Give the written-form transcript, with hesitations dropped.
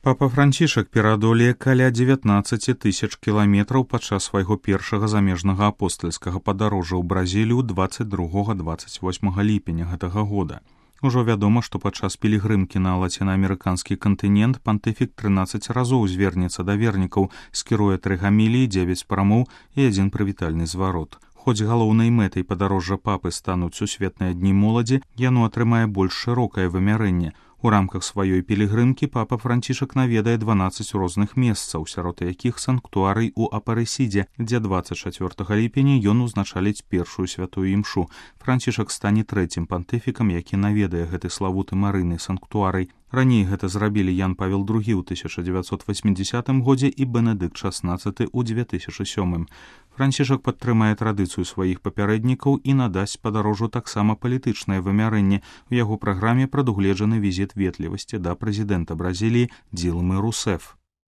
Папа Францішак пераадолее каля 19 тысяч кіламетраў падчас свайго першага замежнага апостальскага падарожжа ў Бразілію 22-28 ліпеня гэтага года. Ужо вядома, што падчас пілігрымкі на лацінаамерыканскі кантынент пантыфік 13 разоў звернецца да вернікаў, скіруе 3 гаміліі, 9 прамоў і 1 прывітальны зварот. Хоць галоўнай мэтай падарожжа папы стануць сусветныя дні моладзі, яно атрымае больш шырокае вымярэнне. У рамках сваёй пілігрымкі папа Францішак наведае 12 розных месцаў, сярод якіх санктуарый у Апарэсідзе, дзе 24 ліпеня ён узначаліць першую святую імшу. Францішак стане трэцім пантыфікам, які наведае гэты славуты марыйны санктуарый. Раней гэта зрабілі Ян Павел II ў 1980 годзе і Бенедыкт XVI ў 2007. Францішак падтрымае традыцыю сваіх папярэднікаў і надасць падарожжу таксама палітычнае вымярэнне. У яго праграме прадугледжаны візіт ветлівасці да прэзідэнта Бразіліі Дилмы Русеф.